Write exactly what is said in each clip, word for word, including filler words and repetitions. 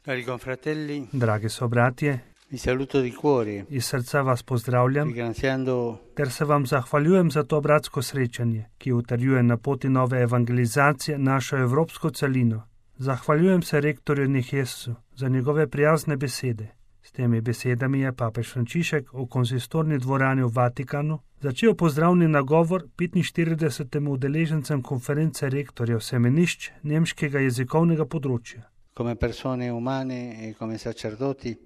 Cari confratelli, Dragi sobratje, vi saluto di cuore, iz srca vas pozdravljam, ringraziando ter se vam zahvaljujem za to bratsko srečanje, ki utrjuje na poti nove evangelizacije našo evropsko celino. Zahvaljujem se rektorju Nihjesu za njegove prijazne besede. S temi besedami je papež Frančišek v konzistorni dvorani v Vatikanu začel pozdravni nagovor petinštiridesetim udeležencem konference rektorjev semenišč nemškega jezikovnega področja. come persone umane e come sacerdoti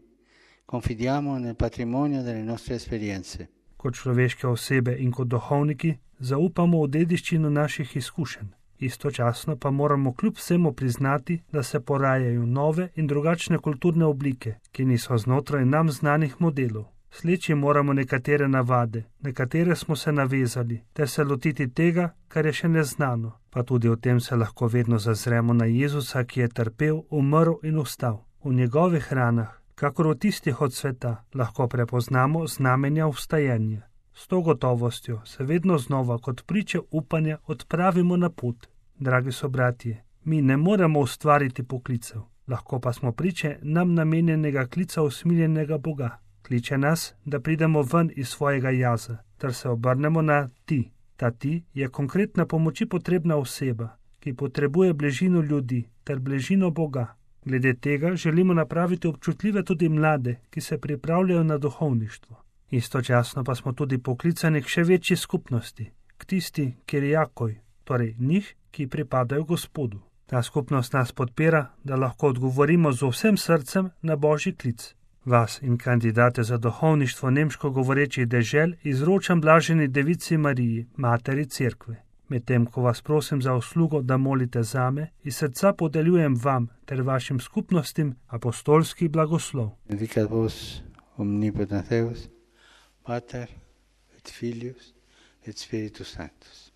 confidiamo nel patrimonio delle nostre esperienze. Kot človeške osebe in kot duhovniki zaupamo v dediščino naših izkušenj. Istočasno pa moramo kljub vsemu priznati, da se porajajo nove in drugačne kulturne oblike, ki niso znotraj nam znanih modelov. Sleči moramo nekatere navade, na katere smo se navezali, ter se lotiti tega, kar je še neznano. Pa tudi o tem se lahko vedno zazremo na Jezusa, ki je trpel, umrl in vstal. V njegovih ranah, kakor v tistih od sveta, lahko prepoznamo znamenja vstajanja. S to gotovostjo se vedno znova kot priče upanja odpravimo na pot. Dragi sobratje, mi ne moremo ustvariti poklicev, lahko pa smo priče nam namenjenega klica usmiljenega Boga. Kliče nas, da pridemo ven iz svojega jaza, ter se obrnemo na ti. Ta ti je konkretna pomoči potrebna oseba, ki potrebuje bližino ljudi ter bližino Boga. Glede tega želimo napraviti občutljive tudi mlade, ki se pripravljajo na duhovništvo. Istočasno pa smo tudi poklicani k še večji skupnosti, k tisti, kjer je jakoj, torej njih, ki pripadajo Gospodu. Ta skupnost nas podpira, da lahko odgovorimo z vsem srcem na Božji klic. Vas in kandidate za duhovništvo nemško govorečih dežel izročam blaženi Devici Mariji, Materi Cerkve. Medtem ko vas prosim za uslugo, da molite zame, iz srca podeljujem vam ter vašim skupnostim apostolski blagoslov. Benedicat vos omnipotens Deus, Pater et Filius et Spiritus Sanctus.